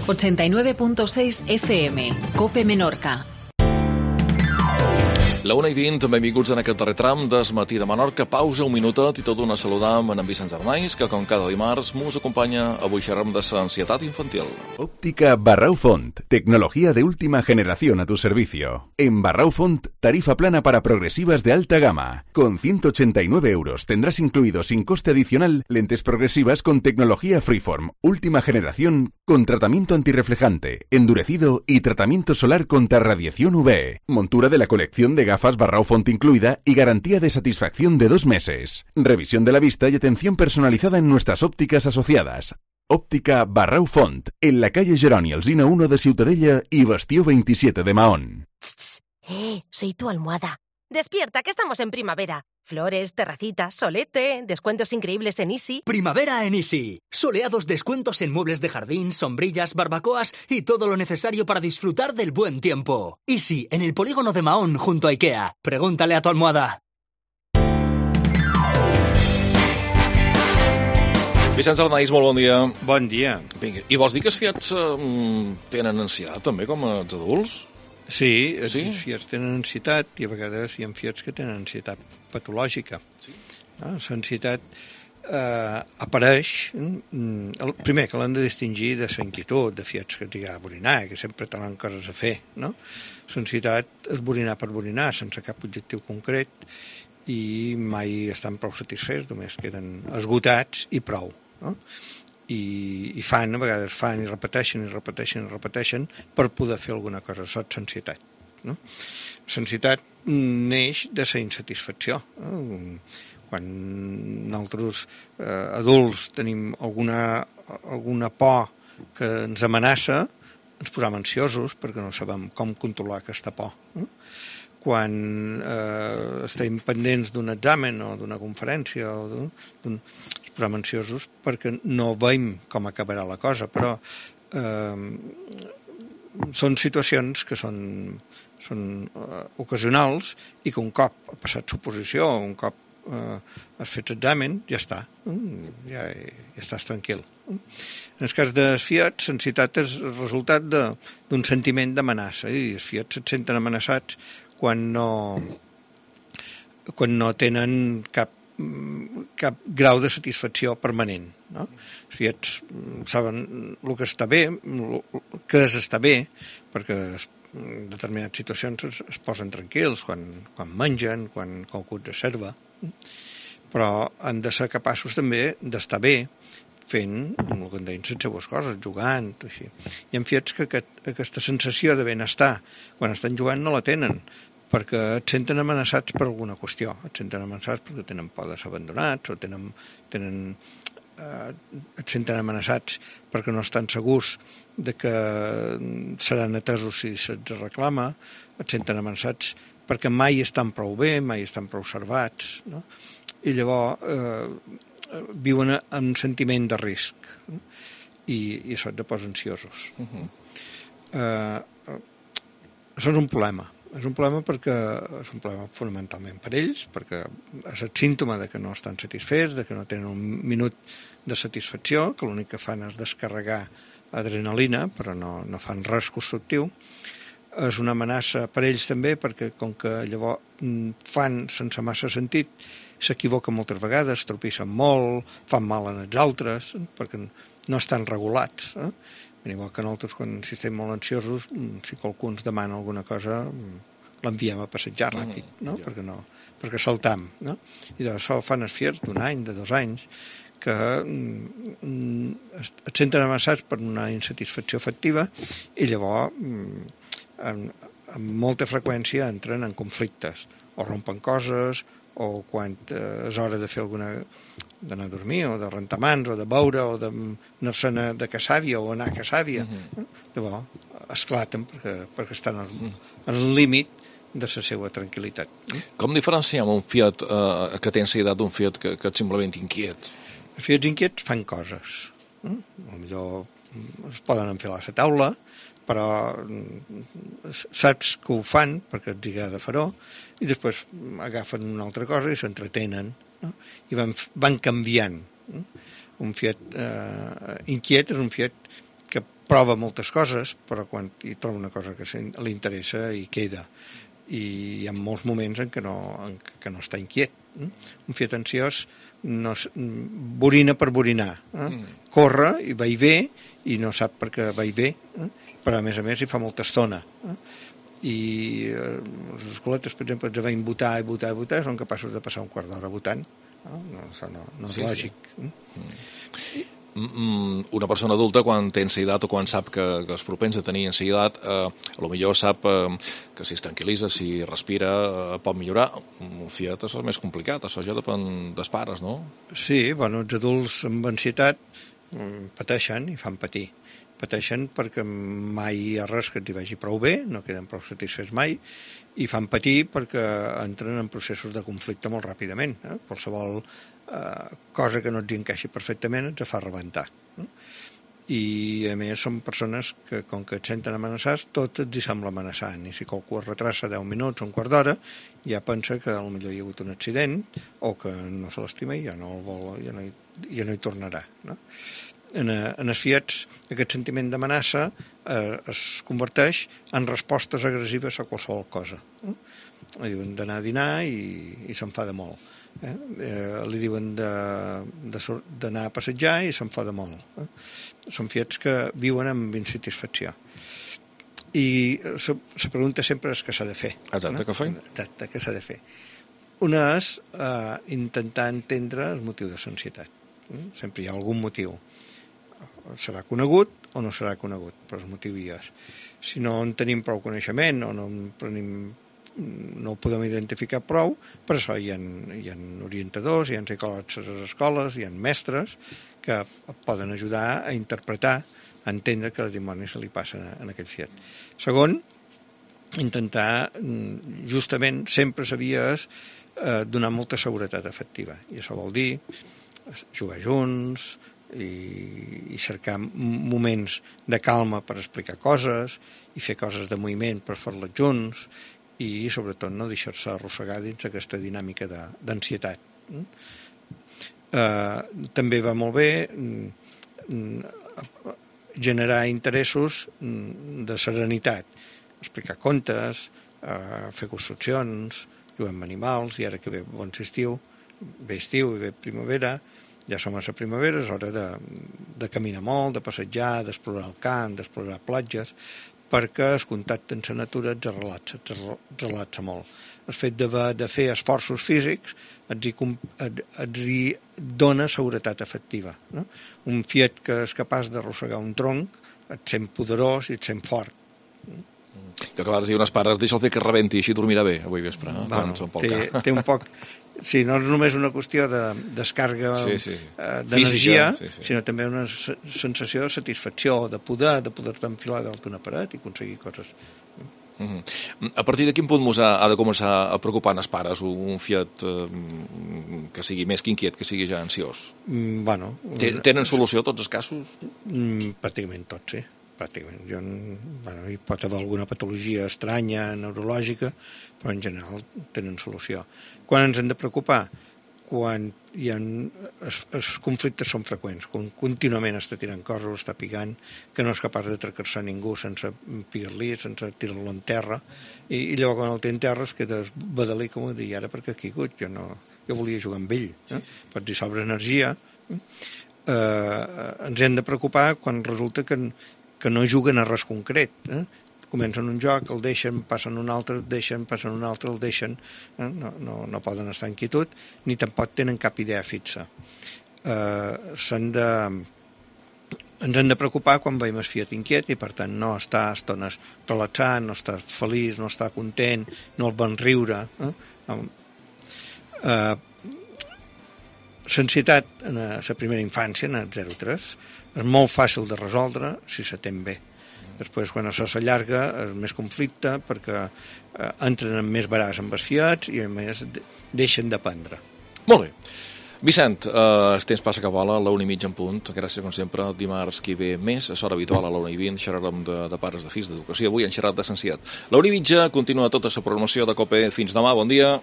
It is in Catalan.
89.6 FM, COPE Menorca. La 1:20, benvinguts en aquest darrer tram del matí de Menorca. Pausa, un minutet i tot d'una saludam en Vicenç Arnaiz, que com cada dimarts mos acompanya. Avui xerrem de l'ansietat infantil. Óptica Barrau Font, tecnología de última generación a tu servicio. En Barrau Font, tarifa plana para progresivas de alta gama. Con 189 euros tendrás incluido sin coste adicional lentes progresivas con tecnología Freeform, última generación, con tratamiento antirreflejante, endurecido y tratamiento solar contra radiación UV. Montura de la colección de gafas Barrau Font incluida y garantía de satisfacción de 2 meses. Revisión de la vista y atención personalizada en nuestras ópticas asociadas. Óptica Barrau Font, en la calle Jeroni Alsina 1 de Ciutadella y Bastió 27 de Mahón. Soy tu almohada. Despierta, que estamos en primavera. Flores, terracitas, solete, descuentos increíbles en Easy. Primavera en Easy. Soleados descuentos en muebles de jardín, sombrillas, barbacoas y todo lo necesario para disfrutar del buen tiempo. Easy, en el polígono de Mahón, junto a Ikea. Pregúntale a tu almohada. Vicenç Arnaiz, molt bon dia. Bon dia. Vinga, i vols dir que els fiats tenen ansietat també, com els adults? Sí, els fiats tenen ansietat i a vegades hi ha fiats que tenen ansietat patològica. Sí. L'ansietat apareix, primer que l'han de distingir de la inquietud, de fiats que t'hi ha a borinar, que sempre tenen coses a fer, no? L'ansietat és borinar per borinar, sense cap objectiu concret, i mai estan prou satisfets, només queden esgotats i prou, no? I fan, a vegades fan i repeteixen per poder fer alguna cosa. Això és l'ansietat, no? L'ansietat neix de la insatisfacció, no? Quan nosaltres adults tenim alguna por que ens amenaça, ens posem ansiosos perquè no sabem com controlar aquesta por, no? Quan estem pendents d'un examen o d'una conferència o ens posem ansiosos perquè no veiem com acabarà la cosa, però són situacions que són ocasionals i que un cop ha passat suposició, un cop has fet examen, ja està, ja estàs tranquil. En el cas dels fiats, l'ansietat és el resultat d'un sentiment d'amenaça, i els fiats et senten amenaçats quan no tenen cap grau de satisfacció permanent, no? Els fiats saben el que està bé, què és estar bé, perquè en determinades situacions es posen tranquils, quan mengen, quan qualcú els observa, però han de ser capaços també d'estar bé fent el que en deien les seues coses, jugant, així. Hi ha fiats que aquesta sensació de benestar quan estan jugant no la tenen, perquè et senten amenaçats per alguna qüestió, et senten amenaçats perquè tenen por de ser abandonats o et senten amenaçats perquè no estan segurs de que seran atesos si se'ls reclama, et senten amenaçats perquè mai estan prou bé, mai estan prou observats, no? I llavors viuen en un sentiment de risc, no? I això et posa ansiosos. Això és un problema. És un problema perquè és un problema fonamentalment per ells, perquè és el símptoma de que no estan satisfets, de que no tenen un minut de satisfacció, que l'únic que fan és descarregar adrenalina, però no fan res constructiu. És una amenaça per ells també, perquè com que llavors fan sense massa sentit, s'equivoquen moltes vegades, tropissen molt, fan mal en els altres, perquè no estan regulats, igual que nosaltres, quan estem molt ansiosos, si qualcú ens demana alguna cosa, l'enviem a passejar ràpid, no? Perquè saltam, no? I d'això fan els fiats d'1 any, de 2 anys, que et senten amenaçats per una insatisfacció afectiva i llavors amb molta freqüència entren en conflictes, o rompen coses, o quan és hora de fer d'anar a dormir, o de rentar mans, o de beure, o d'anar-se'n de caçàvia, o anar a caçàvia. Llavors esclaten perquè estan al límit de la seva tranquil·litat. Com diferenciem un fiat que té ansietat d'un fiat que és simplement inquiet? Els fiats inquiets fan coses. Potser es poden enfilar a la taula, però saps que ho fan perquè els agrada fer-ho, i després agafen una altra cosa i s'entretenen, no? I van canviant. Un fiat inquiet és un fiat que prova moltes coses, però quan hi troba una cosa que li interessa hi queda. I hi ha molts moments en què no està inquiet. Un fiat ansiós borina per borinar. Corre i va i ve i no sap per què va i ve, però a més hi fa molta estona. I les escoletes, per exemple, ens veien votar i votar i votar, són capaços de passar un quart d'hora votant. Això no és lògic. Una persona adulta, quan té ansietat o quan sap que és propens a tenir ansietat, potser sap que si es tranquil·litza, si respira, pot millorar. Un fiat és més complicat, això ja depèn dels pares, no? Sí, els adults amb ansietat pateixen i fan patir. Pateixen perquè mai hi ha res que els hi vagi prou bé, no queden prou satisfets mai, i fan patir perquè entren en processos de conflicte molt ràpidament. Qualsevol cosa que no els encaixi perfectament ens fa rebentar. I a més són persones que, com que et senten amenaçats, tot els hi sembla amenaçant, i si qualcú es retrassa 10 minuts o un quart d'hora ja pensa que potser hi ha hagut un accident o que no se l'estima i ja no el vol, ja no hi tornarà, no? En els fiats, aquest sentiment d'amenaça es converteix en respostes agressives a qualsevol cosa. Li diuen d'anar a dinar i s'enfada molt. Li diuen d'anar a passejar i s'enfada molt. Són fiats que viuen amb insatisfacció. I la pregunta sempre és què s'ha de fer. Exacte, què fer? Exacte, què s'ha de fer. Una és intentar entendre el motiu de l'ansietat. Sempre hi ha algun motiu. Serà conegut o no serà conegut, però el motiu hi és. Si no en tenim prou coneixement o no ho podem identificar prou, per això hi ha orientadors, hi ha psicòlegs a les escoles, hi ha mestres que poden ajudar a interpretar, a entendre que el dimoni se li passa en aquest fiat. Segon, intentar, justament, sempre s'havia donar molta seguretat afectiva. I això vol dir jugar junts, i cercar moments de calma per explicar coses i fer coses de moviment per fer-les junts i sobretot no deixar-se arrossegar dins aquesta dinàmica d'ansietat. També va molt bé generar interessos de serenitat, explicar contes, fer construccions, jugar amb animals, i ara que ve bon estiu, ve estiu i ve primavera, ja som a la primavera, és hora de caminar molt, de passejar, d'explorar el camp, d'explorar platges, perquè el contacte amb la natura et relaxa molt. El fet de fer esforços físics et dona seguretat afectiva. No? Un fiat que és capaç d'arrossegar un tronc et sent poderós i et sent fort. Jo que vas dir unes pares, deixa'l fer que rebenti, així dormirà bé avui vespre. Té un poc... Sí, no és només una qüestió de descàrrega d'energia, sinó també una sensació de satisfacció, de poder-te enfilar dalt d'una paret i aconseguir coses. A partir de quin punt ha de començar a preocupar els pares un fiat que sigui més que inquiet, que sigui ja ansiós? Tenen solució a tots els casos? Pràcticament tots, sí. Pràcticament. Hi pot haver alguna patologia estranya, neurològica, però en general tenen solució. Quan ens hem de preocupar? Quan els conflictes són freqüents, quan contínuament està tirant coses, està picant, que no és capaç de trecar-se a ningú sense pigar-li, sense tirar-lo en terra, i llavors quan el té en terra es queda badalí, com ho dir, ara perquè ha caigut, jo volia jugar amb ell, pots dir sobre energia. Ens hem de preocupar quan resulta que no juguen a res concret. Comencen un joc, el deixen, passen un altre, el deixen, passen un altre, el deixen. No poden estar en quietud, ni tampoc tenen cap idea fixa. Ens hem de preocupar quan veiem el fiat inquiet i, per tant, no està a estones relaxant, no està feliç, no està content, no el van riure. L'ansietat en la primera infància, en el 0-3, és molt fàcil de resoldre si s'atén bé. Després, quan això s'allarga, és més conflicte perquè entren en més baràs amb els fiats i, a més, deixen d'aprendre. Molt bé. Vicent, el temps passa que vola, a la 1:30 en punt. Gràcies, com sempre, dimarts que ve més, a l'hora habitual, a la 1:20, xerrarem de pares de fills d'educació. Avui hem xerrat de l'ansietat. La 1:30 continua tota la programació de COPE. Fins demà, bon dia.